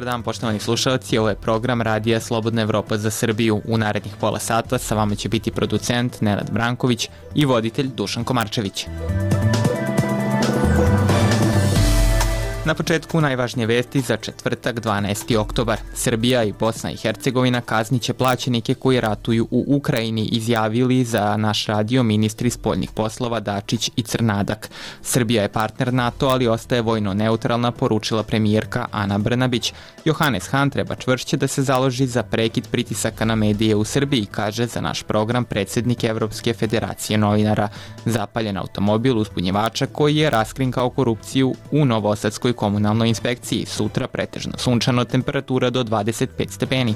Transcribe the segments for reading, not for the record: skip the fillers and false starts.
dan, poštovani slušalci, ovo je program Radija Slobodna Evropa za Srbiju. U narednih pola sata sa vama će biti producent Nenad Branković i voditelj Dušan Komarčević. Na početku najvažnije vesti za četvrtak 12. oktobar. Srbija i Bosna i Hercegovina kazniće plaćenike koji ratuju u Ukrajini, izjavili za naš radio ministri spoljnih poslova Dačić i Crnadak. Srbija je partner NATO, ali ostaje vojno neutralna, poručila premijerka Ana Brnabić. Johannes Han treba čvršće da se založi za prekid pritisaka na medije u Srbiji, kaže za naš program predsjednik Evropske federacije novinara. Zapaljen automobil uzbunjivača koji je raskrinkao korupciju u Novosadskoj komunalnoj inspekciji. Sutra pretežno sunčano, temperatura do 25 stepeni.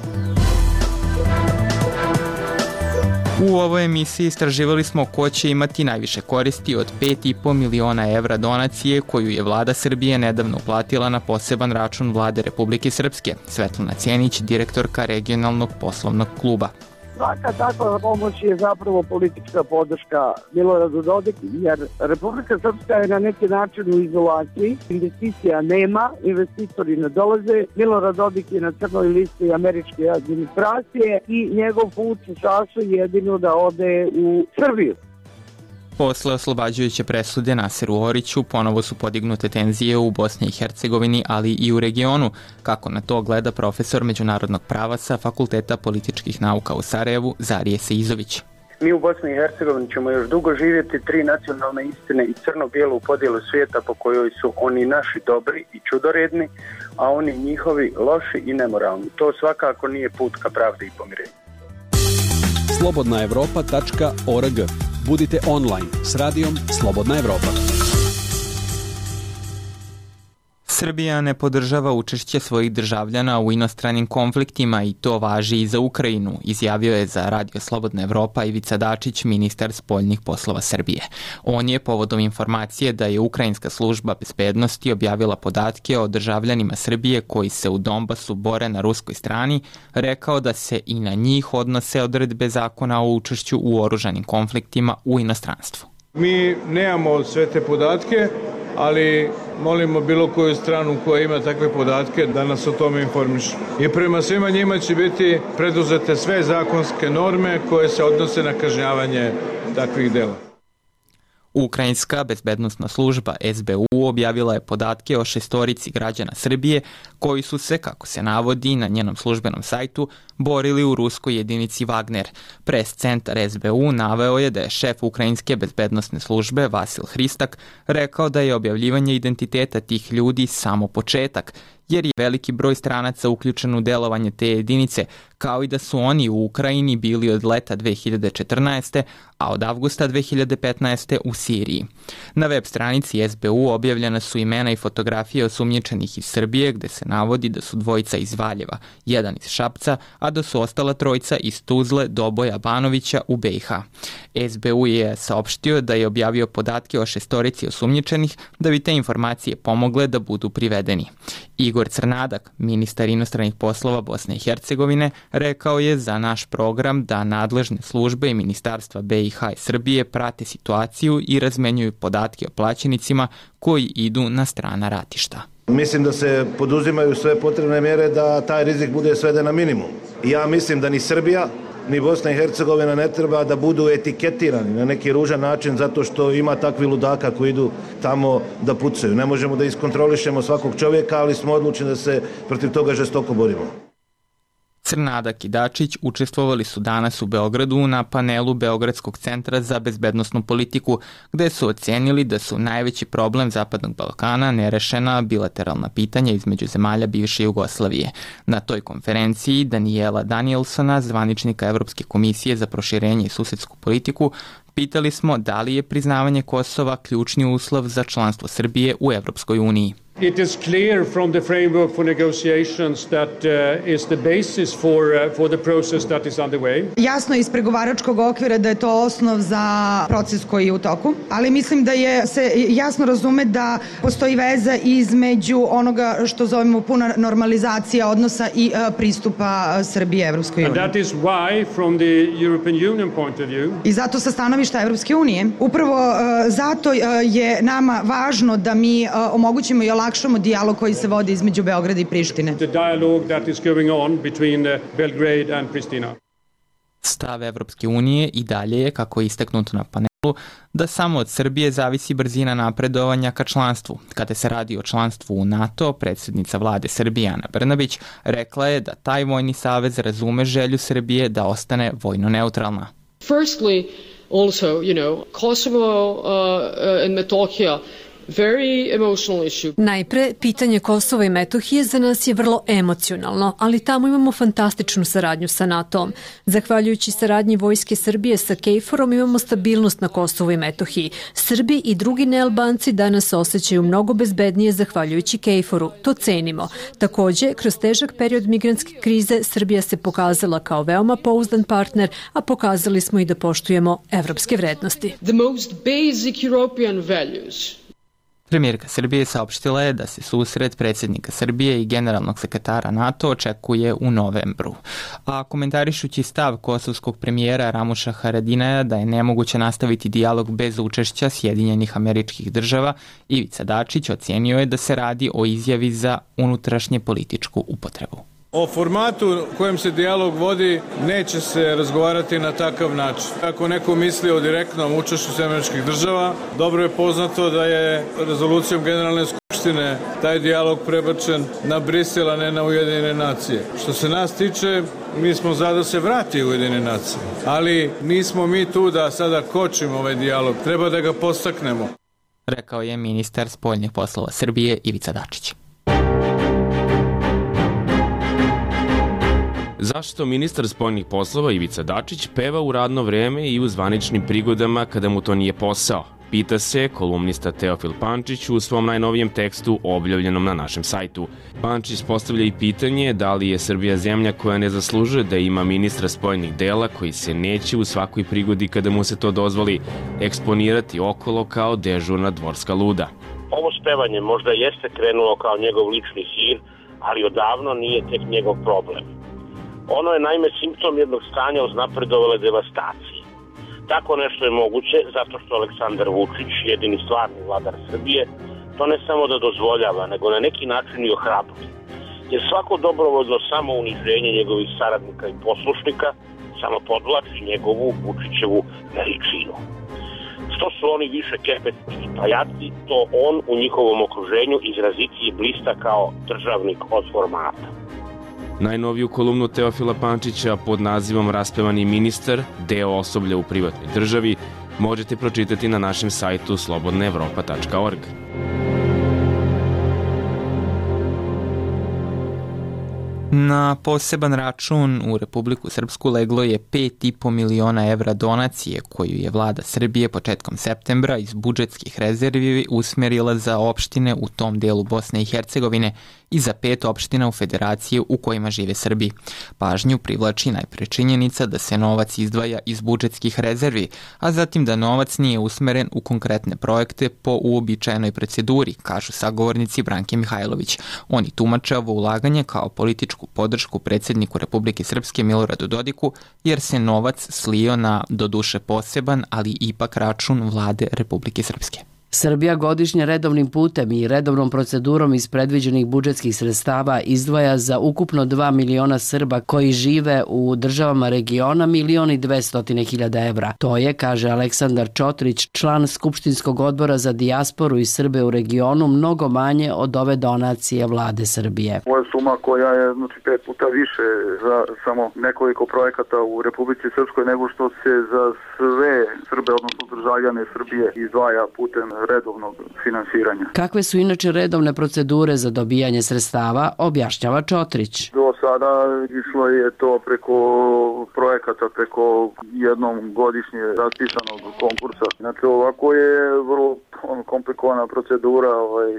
U ovoj emisiji istraživali smo ko će imati najviše koristi od 5,5 miliona evra donacije koju je vlada Srbije nedavno uplatila na poseban račun vlade Republike Srpske. Svetlana Cijenić, direktorka regionalnog poslovnog kluba. Svaka takva pomoć je zapravo politička podrška Miloradu Dodiku, jer Republika Srpska je na neki način u izolaciji, investicija nema, investitori ne dolaze, Milorad Dodik je na crnoj listi američke administracije i njegov put se sastoji jedino da ode u Srbiju. Posle oslobađajuće presude Naseru Oriću ponovo su podignute tenzije u Bosni i Hercegovini, ali i u regionu. Kako na to gleda profesor međunarodnog prava sa Fakulteta političkih nauka u Sarajevu, Zarije Seizović. Mi u Bosni i Hercegovini ćemo još dugo živjeti tri nacionalne istine i crno-bijelu podjelu svijeta po kojoj su oni naši dobri i čudoredni, a oni njihovi loši i nemoralni. To svakako nije put ka pravdi i pomirenju. slobodnaevropa.org. Budite online s radijom Slobodna Evropa. Srbija ne podržava učešće svojih državljana u inostranim konfliktima i to važi i za Ukrajinu, izjavio je za Radio Slobodna Evropa Ivica Dačić, ministar spoljnih poslova Srbije. On je povodom informacije da je Ukrajinska služba bezbednosti objavila podatke o državljanima Srbije koji se u Donbasu bore na ruskoj strani, rekao da se i na njih odnose odredbe zakona o učešću u oružanim konfliktima u inostranstvu. Mi nemamo sve te podatke, ali molimo bilo koju stranu koja ima takve podatke da nas o tome informiše. I prema svima njima će biti preduzete sve zakonske norme koje se odnose na kažnjavanje takvih dela. Ukrajinska bezbednosna služba SBU objavila je podatke o 6 građana Srbije koji su se, kako se navodi na njenom službenom sajtu, borili u ruskoj jedinici Wagner. Pres centar SBU naveo je da je šef Ukrajinske bezbednosne službe Vasil Hristak rekao da je objavljivanje identiteta tih ljudi samo početak, jer je veliki broj stranaca uključen u delovanje te jedinice, kao i da su oni u Ukrajini bili od leta 2014. a od avgusta 2015. u Siriji. Na web stranici SBU objavljena su imena i fotografije osumnjičenih iz Srbije, gde se navodi da su dvojica iz Valjeva, jedan iz Šapca, a da su ostala trojica iz Tuzle, Doboja, Banovića u BiH. SBU je saopštio da je objavio podatke o 6 osumnjičenih da bi te informacije pomogle da budu privedeni. Igor Crnadak, ministar inostranih poslova Bosne i Hercegovine, rekao je za naš program da nadležne službe i ministarstva BiH i Srbije prate situaciju i razmenjuju podatke o plaćenicima koji idu na strana ratišta. Mislim da se poduzimaju sve potrebne mjere da taj rizik bude sveden na minimum. Ja mislim da ni Srbija ni Bosna i Hercegovina ne treba da budu etiketirani na neki ružan način zato što ima takvi ludaka koji idu tamo da pucaju. Ne možemo da iskontrolišemo svakog čovjeka, ali smo odlučeni da se protiv toga žestoko borimo. Crnadak i Dačić učestvovali su danas u Beogradu na panelu Beogradskog centra za bezbednosnu politiku, gde su ocenili da su najveći problem Zapadnog Balkana nerešena bilateralna pitanja između zemalja bivše Jugoslavije. Na toj konferenciji Daniela Danielsona, zvaničnika Evropske komisije za proširenje i susedsku politiku, pitali smo da li je priznavanje Kosova ključni uslov za članstvo Srbije u Evropskoj uniji. It is clear from the framework for negotiations that is the basis for the process that is underway. Jasno iz pregovaračkog okvira da je to osnov za proces koji je u toku, ali mislim da se jasno razume da postoji veza između onoga što zovemo puna normalizacija odnosa i pristupa Srbije Evropskoj uniji. And that is why from the European Union point of view. I zato sa stanovišta stanovišta Evropske unije. Upravo zato je nama važno da mi omogućimo i olakšamo dijalog koji se vodi između Beograda i Prištine. The dialogue that is going on between Belgrade and Pristina. Stav Evropske unije i dalje je, kako je istaknuto na panelu, da samo od Srbije zavisi brzina napredovanja ka članstvu. Kada se radi o članstvu u NATO, predsjednica vlade Srbije Ana Brnabić rekla je da taj vojni savez razume želju Srbije da ostane vojno neutralna. Firstly, also, Kosovo and Metohija, very emotional issue. Najpre, pitanje Kosova i Metohije za nas je vrlo emocionalno, ali tamo imamo fantastičnu saradnju sa NATO-om. Zahvaljujući saradnji Vojske Srbije sa KFOR-om imamo stabilnost na Kosovu i Metohiji. Srbi i drugi nealbanci danas osjećaju mnogo bezbednije zahvaljujući KFOR-u. To cenimo. Takođe, kroz težak period migrantske krize Srbija se pokazala kao veoma pouzdan partner, a pokazali smo i da poštujemo evropske vrednosti. The most basic European values. Premijerka Srbije saopštila je da se susret predsjednika Srbije i generalnog sekretara NATO očekuje u novembru. A komentarišući stav kosovskog premijera Ramuša Haradinaja da je nemoguće nastaviti dijalog bez učešća Sjedinjenih Američkih Država, Ivica Dačić ocijenio je da se radi o izjavi za unutrašnje političku upotrebu. O formatu kojem se dijalog vodi neće se razgovarati na takav način. Ako neko misli o direktnom učešću Američkih Država, dobro je poznato da je rezolucijom Generalne skupštine taj dijalog prebačen na Brisel, a ne na Ujedinjene nacije. Što se nas tiče, mi smo za da se vrati u Ujedinjene nacije, ali nismo mi tu da sada kočimo ovaj dijalog, treba da ga podstaknemo. Rekao je ministar spoljnih poslova Srbije Ivica Dačić. Zašto ministar spoljnih poslova Ivica Dačić peva u radno vreme i u zvaničnim prigodama kada mu to nije posao? Pita se kolumnista Teofil Pančić u svom najnovijem tekstu objavljenom na našem sajtu. Pančić postavlja i pitanje da li je Srbija zemlja koja ne zaslužuje da ima ministra spoljnih dela koji se neće u svakoj prigodi kada mu se to dozvoli eksponirati okolo kao dežurna dvorska luda. Ovo spevanje možda jeste krenulo kao njegov lični hir, ali odavno nije tek njegov problem. Ono je naime simptom jednog stanja uznapredovale devastacije. Tako nešto je moguće zato što Aleksandar Vučić, jedini stvarni vladar Srbije, to ne samo da dozvoljava, nego na neki način i ohrabruje. Jer svako dobrovoljno samouniženje njegovih saradnika i poslušnika samo podvlači njegovu Vučićevu veličinu. Što su oni više kepetni i pajaci, to on u njihovom okruženju izrazitiji blista kao državnik od formata. Najnoviju kolumnu Teofila Pančića pod nazivom Raspevani ministar, deo osoblja u privatnoj državi, možete pročitati na našem sajtu slobodnaevropa.org. Na poseban račun u Republiku Srpsku leglo je 5,5 miliona evra donacije koju je vlada Srbije početkom septembra iz budžetskih rezervi usmerila za opštine u tom delu Bosne i Hercegovine i za 5 opština u federaciji u kojima žive Srbi. Pažnju privlači najpre činjenica da se novac izdvaja iz budžetskih rezervi, a zatim da novac nije usmeren u konkretne projekte po uobičajenoj proceduri, kažu sagovornici Branke Mihajlović. Oni tumače ovo ulaganje kao političku podršku predsjedniku Republike Srpske Miloradu Dodiku, jer se novac slio na doduše poseban, ali ipak račun vlade Republike Srpske. Srbija godišnje redovnim putem i redovnom procedurom iz predviđenih budžetskih sredstava izdvaja za ukupno 2 miliona Srba koji žive u državama regiona 1.200.000 evra. To je, kaže Aleksandar Čotrić, član Skupštinskog odbora za dijasporu i Srbe u regionu, mnogo manje od ove donacije vlade Srbije. Ovo je suma koja je 5 puta više za samo nekoliko projekata u Republici Srpskoj nego što se za sve Srbe, odnosno državljane Srbije, izdvaja putem redovnog finansiranja. Kakve su inače redovne procedure za dobijanje sredstava, objašnjava Čotrić. Do sada išlo je to preko projekata, preko jednom godišnje raspisanog konkursa. Znači ovako je vrlo komplikovana procedura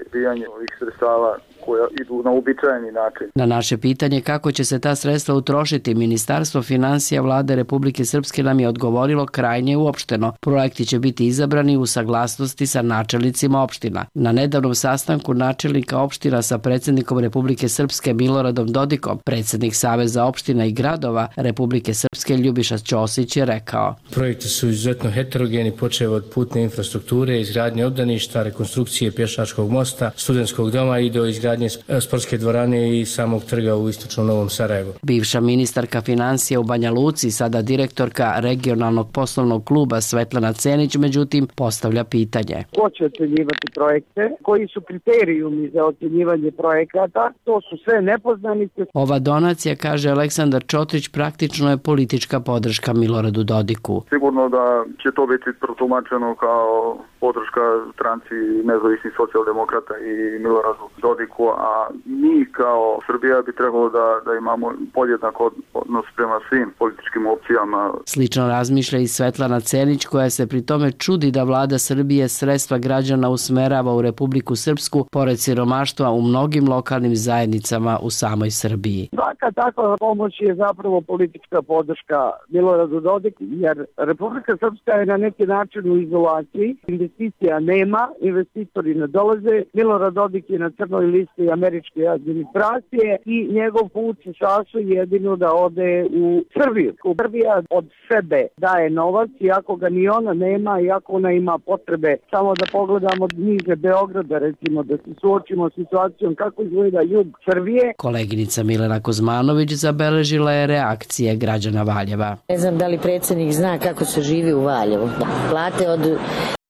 dobijanje ovih sredstava koja idu na uobičajeni način. Na naše pitanje kako će se ta sredstva utrošiti, Ministarstvo finansija Vlade Republike Srpske nam je odgovorilo krajnje uopšteno. Projekti će biti izabrani u saglasnosti sa načelnicima opština. Na nedavnom sastanku načelnika opština sa predsjednikom Republike Srpske Miloradom Dodikom, predsjednik Saveza opština i gradova Republike Srpske Ljubiša Ćosić je rekao: Projekti su izuzetno heterogeni, počev od putne infrastrukture, izgradnje obdaništa, rekonstrukcije pješačkog mosta, studentskog doma i do izgradnje sportske dvorane i samog trga u istočnom Novom Sarajevu. Bivša ministarka financija u Banja Luci, sada direktorka regionalnog poslovnog kluba Svetlana Cenić, međutim, postavlja pitanje. Ko će ocjenjivati projekte? Koji su kriterijumi za ocjenjivanje projekata? To su sve nepoznanice. Ova donacija, kaže Aleksandar Čotrić, praktično je politička podrška Miloradu Dodiku. Sigurno da će to biti protumačeno kao podrška stranci nezavisnih socijaldemokrata i Miloradu Dodiku, a mi kao Srbija bi trebalo da imamo podjednak odnos prema svim političkim opcijama. Slično razmišlja i Svetlana Cenić, koja se pri tome čudi da vlada Srbije sredstva građana usmerava u Republiku Srpsku pored siromaštva u mnogim lokalnim zajednicama u samoj Srbiji. Svaka takva pomoć je zapravo politička podrška Miloradu Dodiku, jer Republika Srpska je na neki način u izolaciji, investicija nema, investitori ne dolaze, Milorad Dodik je na crnoj listi američke administracije i njegov put se sastoji jedino da ode u Srbiju. Srbija od sebe daje novac, iako ga ni ona nema, iako ona ima potrebe. Samo da pogledamo niže Beograda, recimo, da se suočimo s situacijom kako izgleda jug Srbije. Koleginica Milena Kozmanović zabeležila je reakcije građana Valjeva. Ne znam da li predsjednik zna kako se živi u Valjevu. Plate od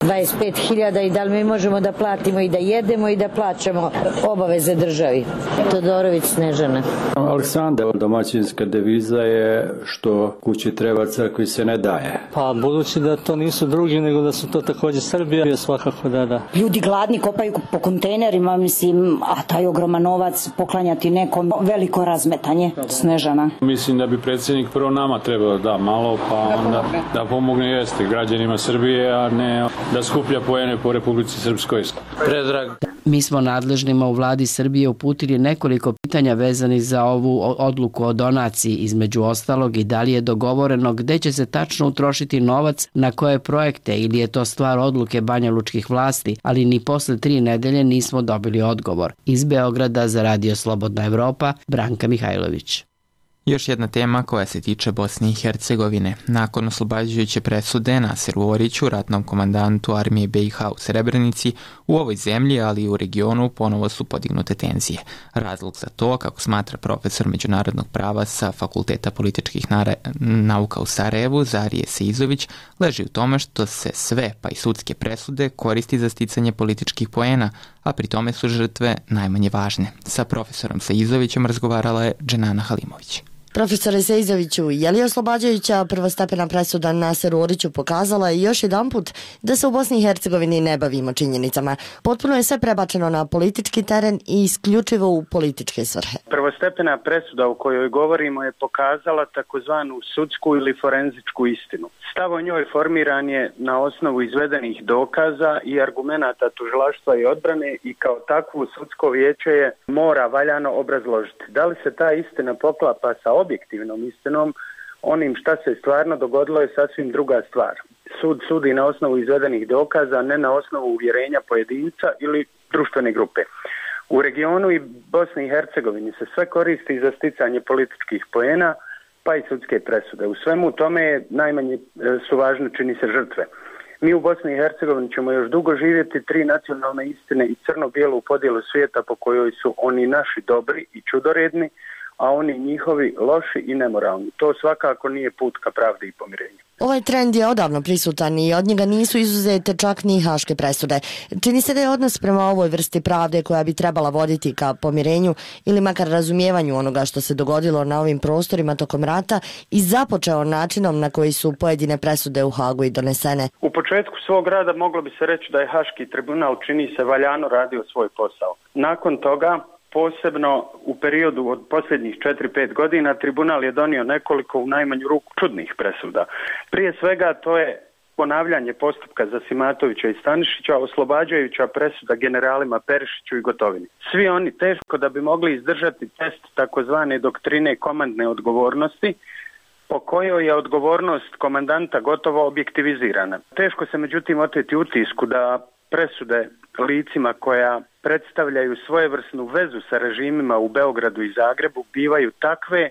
25.000 i da li mi možemo da platimo i da jedemo i da plaćamo obaveze državi. Todorović Snežana. Aleksandar, domaćinska deviza je što kući treba, crkvi se ne daje. Pa budući da to nisu drugi, nego da su to također Srbija, je svakako da. Ljudi gladni kopaju po kontejnerima, mislim, a taj ogroman novac poklanjati nekom, veliko razmetanje. Snežana. Mislim da bi predsjednik prvo nama trebao da malo, pa onda da pomogne jeste građanima Srbije, a ne da skuplja poene po Republici Srpskoj. Predrag. Mi smo nadležnima u vladi Srbije uputili nekoliko pitanja vezanih za ovu odluku o donaciji, između ostalog i da li je dogovoreno gde će se tačno utrošiti novac, na koje projekte, ili je to stvar odluke banjalučkih vlasti, ali ni posle 3 nedelje nismo dobili odgovor. Iz Beograda za Radio Slobodna Evropa, Branka Mihajlović. Još jedna tema koja se tiče Bosne i Hercegovine. Nakon oslobađajuće presude Naseru Oriću, ratnom komandantu armije BiH u Srebrenici, u ovoj zemlji, ali i u regionu, ponovo su podignute tenzije. Razlog za to, kako smatra profesor međunarodnog prava sa Fakulteta političkih nauka u Sarajevu, Zarije Seizović, leži u tome što se sve, pa i sudske presude, koristi za sticanje političkih poena, a pri tome su žrtve najmanje važne. Sa profesorom Seizovićem razgovarala je Dženana Halimović. Profesore Seizoviću, je li oslobađajuća prvostepena presuda Naseru Oriću pokazala još jedanput da se u Bosni i Hercegovini ne bavimo činjenicama? Potpuno je sve prebačeno na politički teren i isključivo u političke svrhe. Prvostepena presuda o kojoj govorimo je pokazala takozvanu sudsku ili forenzičku istinu. Stav o njoj formiran je na osnovu izvedenih dokaza i argumenata tužilaštva i odbrane i kao takvu sudsko vijeće je mora valjano obrazložiti. Da li se ta istina poklapa sa objektivnom istinom, onim šta se stvarno dogodilo je sasvim druga stvar. Sud sudi na osnovu izvedenih dokaza, ne na osnovu uvjerenja pojedinca ili društvene grupe. U regionu i Bosni i Hercegovini se sve koristi za sticanje političkih poena, pa i sudske presude. U svemu tome najmanje su važne, čini se, žrtve. Mi u Bosni i Hercegovini ćemo još dugo živjeti 3 nacionalne istine i crno-bijelu podjelu svijeta po kojoj su oni naši dobri i čudoredni, a oni njihovi loši i nemoralni. To svakako nije put ka pravdi i pomirenju. Ovaj trend je odavno prisutan i od njega nisu izuzete čak ni haške presude. Čini se da je odnos prema ovoj vrsti pravde koja bi trebala voditi ka pomirenju ili makar razumijevanju onoga što se dogodilo na ovim prostorima tokom rata i započeo načinom na koji su pojedine presude u Hagu i donesene. U početku svog rada moglo bi se reći da je Haški tribunal, čini se, valjano radio svoj posao. Nakon toga, posebno u periodu od posljednjih 4-5 godina, tribunal je donio nekoliko u najmanju ruku čudnih presuda. Prije svega to je ponavljanje postupka za Simatovića i Stanišića, oslobađajuća presuda generalima Perišiću i Gotovini. Svi oni teško da bi mogli izdržati test takozvane doktrine komandne odgovornosti, po kojoj je odgovornost komandanta gotovo objektivizirana. Teško se međutim oteti utisku da presude licima koja predstavljaju svojevrsnu vezu sa režimima u Beogradu i Zagrebu bivaju takve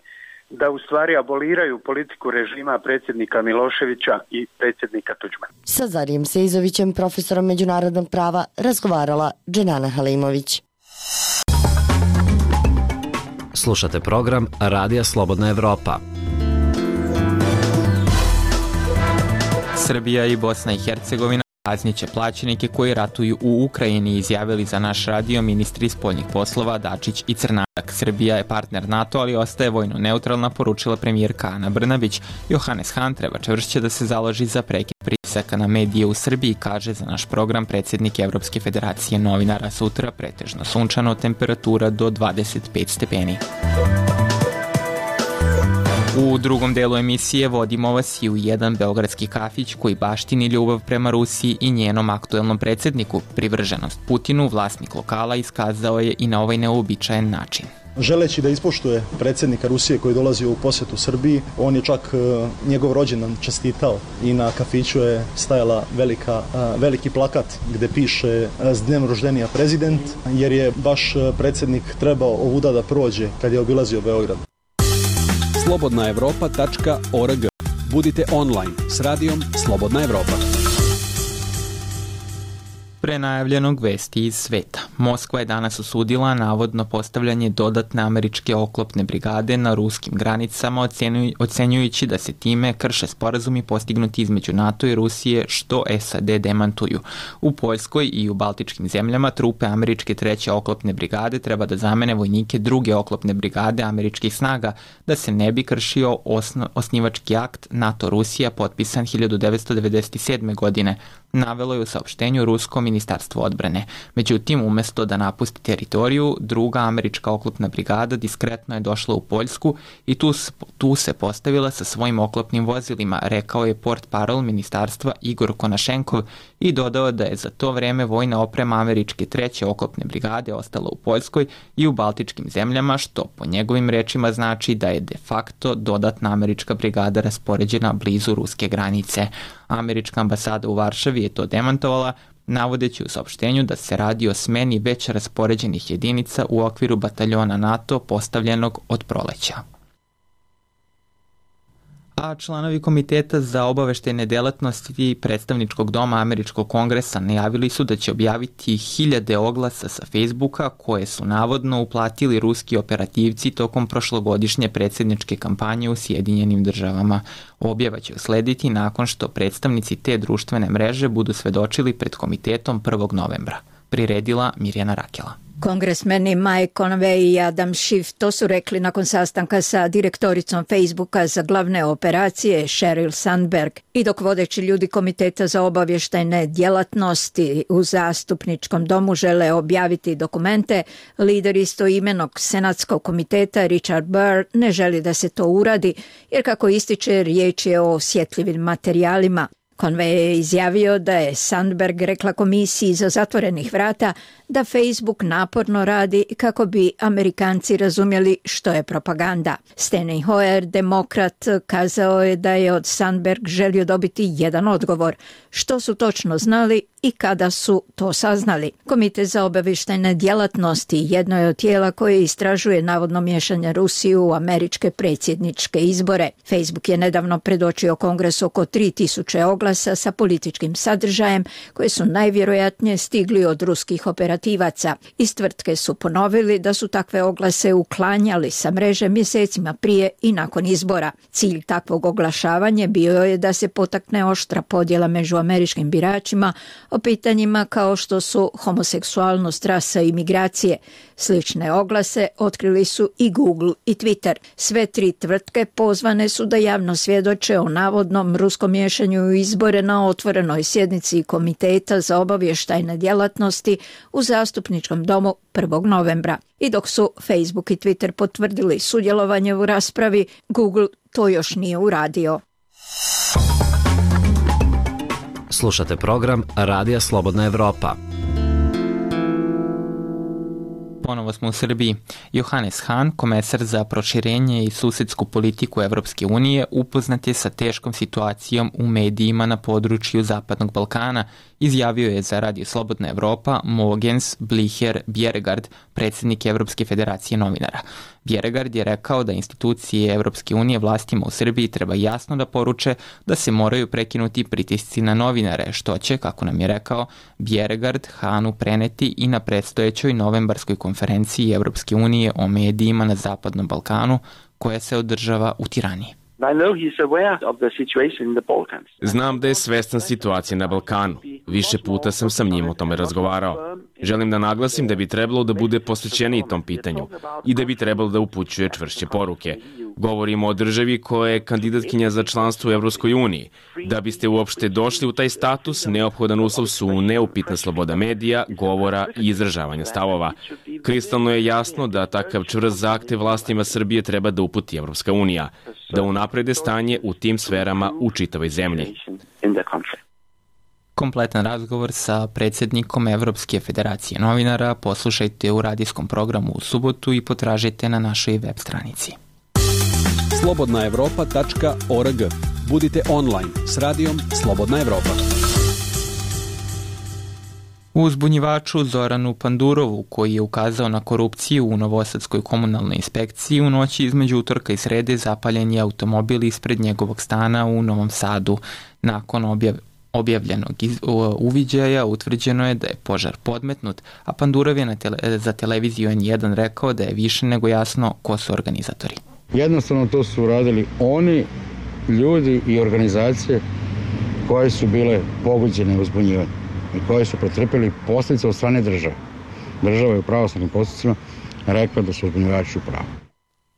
da u stvari aboliraju politiku režima predsjednika Miloševića i predsjednika Tuđmana. Sa Zarijem Seizovićem, profesorom međunarodnog prava, razgovarala Dženana Halimović. Slušate program Radija Slobodna Evropa. Srbija i Bosna i Hercegovina kazniće plaćenike koji ratuju u Ukrajini, izjavili za naš radio ministri spoljnih poslova Dačić i Crnadak. Srbija je partner NATO, ali ostaje vojno neutralna, poručila premijerka Ana Brnabić. Johannes Hahn treba čvršće da se založi za prekid pritisaka na medije u Srbiji, kaže za naš program predsjednik Evropske federacije novinara. Sutra pretežno sunčano, temperatura do 25 stepeni. U drugom delu emisije vodimo vas i u jedan beogradski kafić koji baštini ljubav prema Rusiji i njenom aktuelnom predsjedniku. Privrženost Putinu vlasnik lokala iskazao je i na ovaj neuobičajen način. Želeći da ispoštuje predsjednika Rusije koji dolazi u posjetu Srbiji, on je čak njegov rođendan čestitao i na kafiću je stajala veliki plakat gdje piše "S dnem roždenija prezident", jer je baš predsjednik trebao ovuda da prođe kad je obilazio Beograd. slobodnaevropa.org. Budite online s radijom Slobodna Evropa. Prenajavljenog vesti iz sveta. Moskva je danas osudila navodno postavljanje dodatne američke oklopne brigade na ruskim granicama, ocenjujući da se time krše sporazumi postignuti između NATO i Rusije, što SAD demantuju. U Poljskoj i u Baltičkim zemljama trupe američke 3. oklopne brigade treba da zamene vojnike 2. oklopne brigade američkih snaga, da se ne bi kršio osnivački akt NATO-Rusija potpisan 1997. godine, navelo je u saopštenju rusko ministarstvo odbrane. Međutim, umesto da napusti teritoriju, 2. američka oklopna brigada diskretno je došla u Poljsku i tu se postavila sa svojim oklopnim vozilima, rekao je portparol ministarstva Igor Konašenkov i dodao da je za to vreme vojna oprema američke 3. oklopne brigade ostala u Poljskoj i u Baltičkim zemljama, što po njegovim rečima znači da je de facto dodatna američka brigada raspoređena blizu ruske granice. Američka ambasada u Varšavi je to demantovala, navodeći u saopštenju da se radi o smeni već raspoređenih jedinica u okviru bataljona NATO postavljenog od proleća. A članovi Komiteta za obaveštajne delatnosti predstavničkog doma Američkog kongresa najavili su da će objaviti 1000 oglasa sa Facebooka koje su navodno uplatili ruski operativci tokom prošlogodišnje predsjedničke kampanje u Sjedinjenim državama. Objava će uslediti nakon što predstavnici te društvene mreže budu svedočili pred komitetom 1. novembra. Priredila Mirjana Rakela. Kongresmeni Mike Conway i Adam Schiff to su rekli nakon sastanka sa direktoricom Facebooka za glavne operacije Sheryl Sandberg. I dok vodeći ljudi Komiteta za obavještajne djelatnosti u zastupničkom domu žele objaviti dokumente, lider istoimenog senatskog komiteta Richard Burr ne želi da se to uradi, jer kako ističe, riječ je o osjetljivim materijalima. Conway je izjavio da je Sandberg rekla komisiji za zatvorenih vrata da Facebook naporno radi kako bi Amerikanci razumjeli što je propaganda. Steny Hoyer, demokrat, kazao je da je od Sandberg želio dobiti jedan odgovor. Što su točno znali i kada su to saznali? Komitet za obavještajne djelatnosti jedno je od tijela koje istražuje navodno miješanje Rusije u američke predsjedničke izbore. Facebook je nedavno predočio Kongresu oko 3000 oglasa sa političkim sadržajem koje su najvjerojatnije stigli od ruskih operativaca. Iz tvrtke su ponovili da su takve oglase uklanjali sa mreže mjesecima prije i nakon izbora. Cilj takvog oglašavanja bio je da se potakne oštra podjela među američkim biračima o pitanjima kao što su homoseksualnost, rasa i migracije. Slične oglase otkrili su i Google i Twitter. Sve 3 tvrtke pozvane su da javno svjedoče o navodnom ruskom miješanju u izbore na otvorenoj sjednici Komiteta za obavještajne djelatnosti u zastupničkom domu 1. novembra. I dok su Facebook i Twitter potvrdili sudjelovanje u raspravi, Google to još nije uradio. Slušate program Radija Slobodna Evropa. Ponovo smo u Srbiji. Johannes Hahn, komesar za proširenje i susedsku politiku Evropske unije, upoznat je sa teškom situacijom u medijima na području Zapadnog Balkana. Izjavio je za Radio Slobodna Evropa Mogens Blicher Bjerregard, predsjednik Evropske federacije novinara. Bjerregard je rekao da institucije Evropske unije vlastima u Srbiji treba jasno da poruče da se moraju prekinuti pritisci na novinare, što će, kako nam je rekao, Bjerregard Hahnu preneti i na predstojećoj novembarskoj konferenciji Evropske unije o medijima na Zapadnom Balkanu, koja se održava u Tirani. Znam da je svestan situacije na Balkanu. Više puta sam sa njim o tome razgovarao. Želim da naglasim da bi trebalo da bude posvećeniji tom pitanju i da bi trebalo da upućuje čvršće poruke. Govorimo o državi koja je kandidatkinja za članstvo u Evropskoj uniji. Da biste uopšte došli u taj status, neophodan uslov su neupitna sloboda medija, govora i izražavanja stavova. Kristalno je jasno da takav čvrst zahtev vlastima Srbije treba da uputi Evropska unija, da unaprede stanje u tim sferama u čitavoj zemlji. Kompletan razgovor sa predsjednikom Evropske federacije novinara poslušajte u radijskom programu u subotu i potražite na našoj web stranici. slobodnaevropa.org. Budite online s radijom Slobodna Evropa. Uzbunjivaču Zoranu Pandurovu, koji je ukazao na korupciju u Novosadskoj komunalnoj inspekciji, u noći između utorka i srede zapaljen je automobil ispred njegovog stana u Novom Sadu. Nakon objavljenog uviđaja utvrđeno je da je požar podmetnut, a Pandurov je za televiziju N1 rekao da je više nego jasno ko su organizatori. Jednostavno to su uradili oni ljudi i organizacije koje su bile pogođene uzbunjivanjem i koje su pretrpeli posljedice od strane države. Država je u pravosnažnim postupcima rekla da su uzbunjivači u pravu.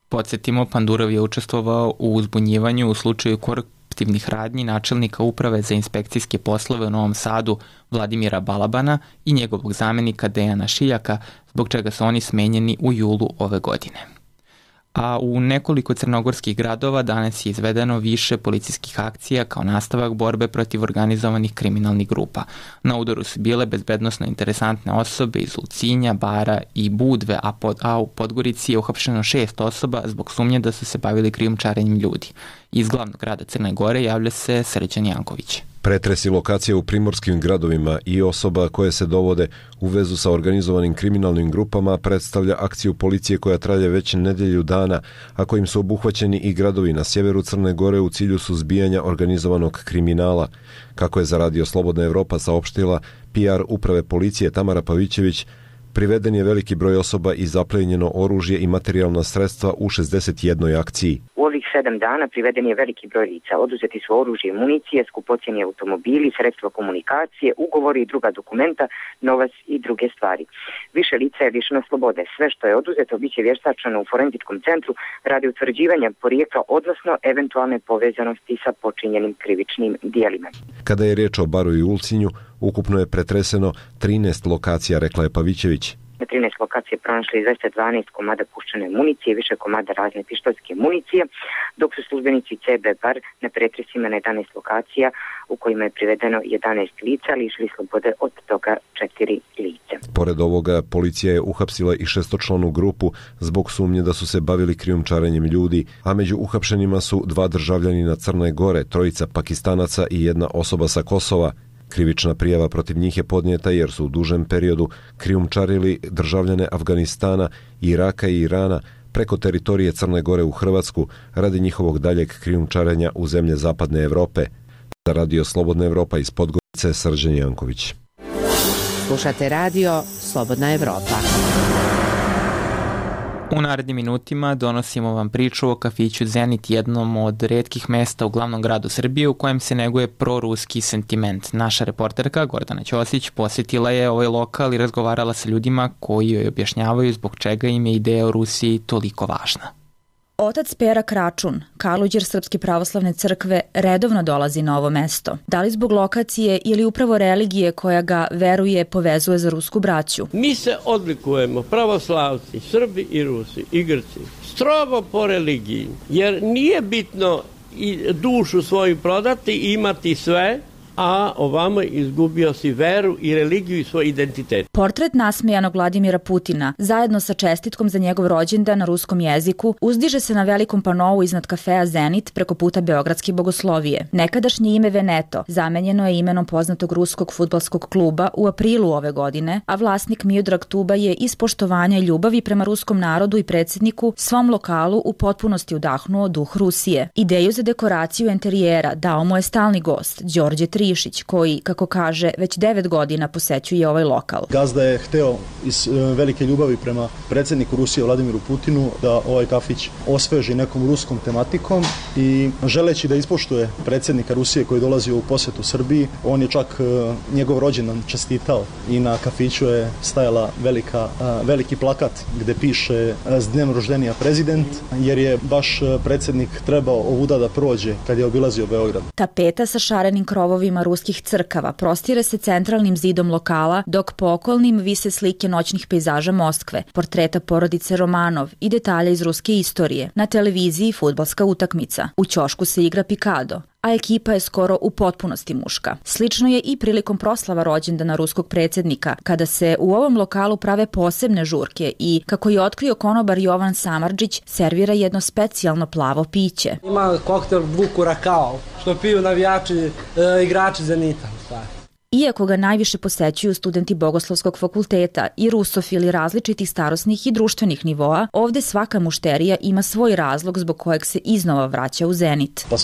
Podsjetimo, Pandurov je učestvovao u uzbunjivanju u slučaju koruptivnih radnji načelnika uprave za inspekcijske poslove u Novom Sadu Vladimira Balabana i njegovog zamenika Dejana Šiljaka, zbog čega su oni smenjeni u julu ove godine. A u nekoliko crnogorskih gradova danas je izvedeno više policijskih akcija kao nastavak borbe protiv organizovanih kriminalnih grupa. Na udaru su bile bezbednosno interesantne osobe iz Ulcinja, Bara i Budve, a u Podgorici je uhapšeno 6 osoba zbog sumnje da su se bavili krijumčarenjem ljudi. Iz glavnog grada Crne Gore javlja se Srđan Janković. Pretresi lokacija u primorskim gradovima i osoba koje se dovode u vezu sa organizovanim kriminalnim grupama predstavlja akciju policije koja traje već nedelju dana, a kojim su obuhvaćeni i gradovi na sjeveru Crne Gore u cilju suzbijanja organizovanog kriminala. Kako je za Radio Slobodna Evropa saopštila PR uprave policije Tamara Pavićević, priveden je veliki broj osoba i zaplenjeno oružje i materijalna sredstva u 61 akciji. U ovih 7 dana priveden je veliki broj lica. Oduzeti su oružje i municije, skupocjeni automobili, sredstva komunikacije, ugovori i druga dokumenta, novac i druge stvari. Više lica je lišeno slobode. Sve što je oduzeto biće vještačeno u forenzičkom centru radi utvrđivanja porijekla, odnosno eventualne povezanosti sa počinjenim krivičnim dijelima. Kada je riječ o Baru i Ulcinju, ukupno je pretreseno 13 lokacija, rekla je Pavićević. Na 13 lokacije pronašli 212 komada puščane municije, više komada razne pištoljske municije, dok su službenici CB Bar na pretresima na 11 lokacija u kojima je privedeno 11 lica, lišili slobode od toga 4 lice. Pored ovoga, policija je uhapsila i 6-članu grupu zbog sumnje da su se bavili krijumčarenjem ljudi, a među uhapšenima su 2 državljanina Crne Gore, 3 Pakistanaca i 1 osoba sa Kosova. Krivična prijava protiv njih je podnijeta jer su u dužem periodu krijumčarili državljane Afganistana, Iraka i Irana preko teritorije Crne Gore u Hrvatsku radi njihovog daljeg krijumčarenja u zemlje Zapadne Evrope. Za Radio Slobodna Evropa iz Podgorice, Srđan Janković. Slušate Radio Slobodna Evropa. U narednim minutima donosimo vam priču o kafiću Zenit, jednom od retkih mesta u glavnom gradu Srbije u kojem se neguje proruski sentiment. Naša reporterka Gordana Ćosić posjetila je ovaj lokal i razgovarala sa ljudima koji joj objašnjavaju zbog čega im je ideja o Rusiji toliko važna. Otac Pera Kračun, kaluđer Srpske pravoslavne crkve, redovno dolazi na ovo mesto. Da li zbog lokacije ili upravo religije koja ga, veruje, povezuje za rusku braću? Mi se odlikujemo, pravoslavci, Srbi i Rusi i Grci, strogo po religiji, jer nije bitno i dušu svoju prodati i imati sve, a ovamo izgubio si veru i religiju i svoj identitet. Portret nasmejanog Vladimira Putina, zajedno sa čestitkom za njegov rođendan na ruskom jeziku, uzdiže se na velikom panovu iznad kafea Zenit preko puta Beogradske Bogoslovije. Nekadašnje ime Veneto zamenjeno je imenom poznatog ruskog fudbalskog kluba u aprilu ove godine, a vlasnik Miodrag Tuba je iz poštovanja i ljubavi prema ruskom narodu i predsjedniku svom lokalu u potpunosti udahnuo duh Rusije. Ideju za dekoraciju enterijera dao mu je stalni gost, Đorđe Trišić, koji, kako kaže, već 9 godina posećuje ovaj lokal. Gazda je hteo iz velike ljubavi prema predsjedniku Rusije Vladimiru Putinu da ovaj kafić osveži nekom ruskom tematikom i želeći da ispoštuje predsjednika Rusije koji dolazi u posetu Srbiji, on je čak njegov rođendan čestitao i na kafiću je stajala veliki plakat gde piše s dnem roždenja prezident, jer je baš predsjednik trebao ovuda da prođe kad je obilazio Beograd. Tapeta sa šarenim krovovima ruskih crkava prostire se centralnim zidom lokala, dok po okolnim vise slike noćnih pejzaža Moskve, portreta porodice Romanov i detalja iz ruske istorije. Na televiziji fudbalska utakmica. U ćošku se igra pikado, a ekipa je skoro u potpunosti muška. Slično je i prilikom proslava rođendana ruskog predsjednika, kada se u ovom lokalu prave posebne žurke i, kako je otkrio konobar Jovan Samardžić, servira jedno specijalno plavo piće. Ima koktel Vukurakao, što piju navijači, igrači Zenita. Iako ga najviše posećuju studenti Bogoslovskog fakulteta i rusofili različitih starosnih i društvenih nivoa, ovde svaka mušterija ima svoj razlog zbog kojeg se iznova vraća u Zenit. Pa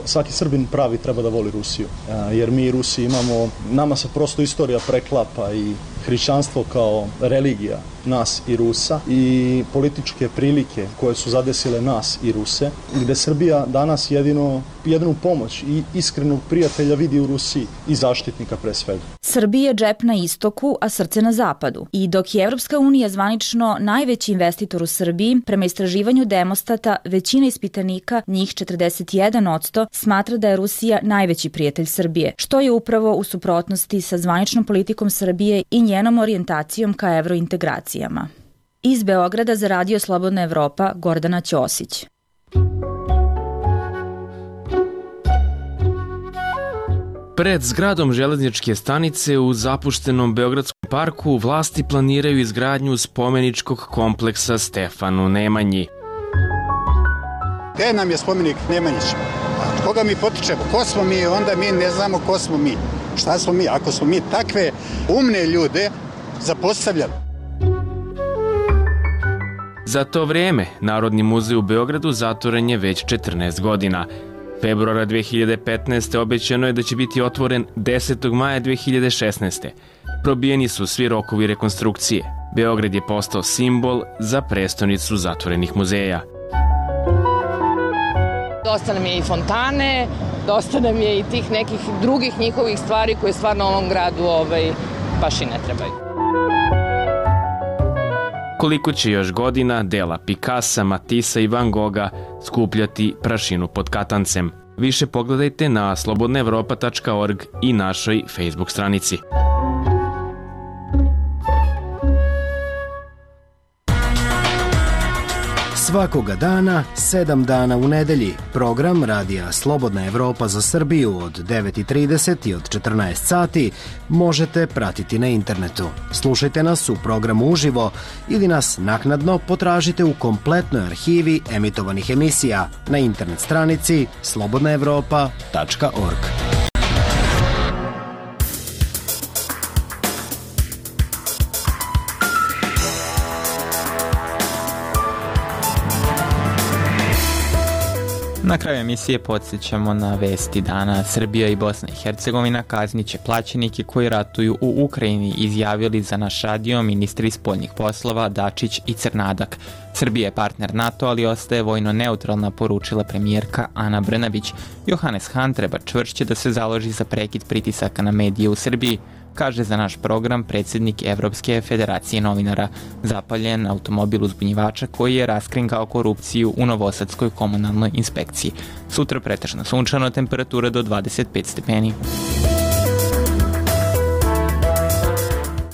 svaki Srbin pravi treba da voli Rusiju, jer mi Rusi imamo, nama se prosto istorija preklapa i hrišćanstvo kao religija nas i Rusa i političke prilike koje su zadesile nas i Ruse, gde Srbija danas jedinu pomoć i iskrenog prijatelja vidi u Rusiji i zaštitnika pre svega. Srbija je džep na istoku, a srce na zapadu. I dok je Evropska unija zvanično najveći investitor u Srbiji, prema istraživanju Demostata, većina ispitanika, njih 41%, smatra da je Rusija najveći prijatelj Srbije, što je upravo u suprotnosti sa zvaničnom politikom Srbije i njenom orijentacijom ka evrointegracijama. Iz Beograda za Radio Slobodna Evropa, Gordana Ćosić. Pred zgradom železničke stanice u zapuštenom Beogradskom parku vlasti planiraju izgradnju spomeničkog kompleksa Stefanu Nemanji. Gde nam je spomenik Nemanjić? Koga mi potičemo? Ko smo mi? Onda mi ne znamo ko smo mi. Šta smo mi? Ako smo mi takve umne ljude zapostavljali. Za to vrijeme Narodni muzej u Beogradu zatvoren je već 14 godina. Februara 2015. obećano je da će biti otvoren 10. maja 2016. Probijeni su svi rokovi rekonstrukcije. Beograd je postao simbol za prestonicu zatvorenih muzeja. Dosta nam je i fontane, dosta nam je i tih nekih drugih njihovih stvari koje stvarno ovom gradu baš i ne trebaju. Koliko će još godina dela Picassa, Matissa i Van Gogha skupljati prašinu pod katancem? Više pogledajte na slobodnaevropa.org i našoj Facebook stranici. Svakoga dana, 7 dana u nedelji, program Radija Slobodna Evropa za Srbiju od 9:30 i od 14 sati možete pratiti na internetu. Slušajte nas u programu uživo ili nas naknadno potražite u kompletnoj arhivi emitovanih emisija na internet stranici slobodnaevropa.org. Na kraju emisije podsjećamo na vesti dana. Srbija i Bosna i Hercegovina kazniće plaćenike koji ratuju u Ukrajini, izjavili za naš radio ministri spoljnih poslova Dačić i Crnadak. Srbija je partner NATO, ali ostaje vojno neutralna, poručila premijerka Ana Brnabić. Johannes Hahn treba čvršće da se založi za prekid pritisaka na medije u Srbiji, kaže za naš program predsjednik Evropske federacije novinara. Zapaljen automobil uzbunjivača koji je raskrinkao korupciju u Novosadskoj komunalnoj inspekciji. Sutra pretežno sunčano, temperatura do 25 stepeni.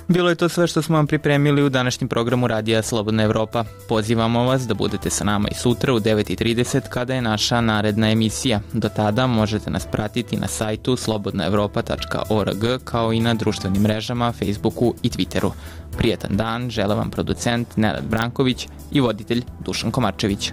Bilo je to sve što smo vam pripremili u današnjem programu Radija Slobodna Evropa. Pozivamo vas da budete sa nama i sutra u 9:30 kada je naša naredna emisija. Do tada možete nas pratiti na sajtu slobodnaevropa.org kao i na društvenim mrežama, Facebooku i Twitteru. Prijetan dan žele vam producent Nenad Branković i voditelj Dušan Komarčević.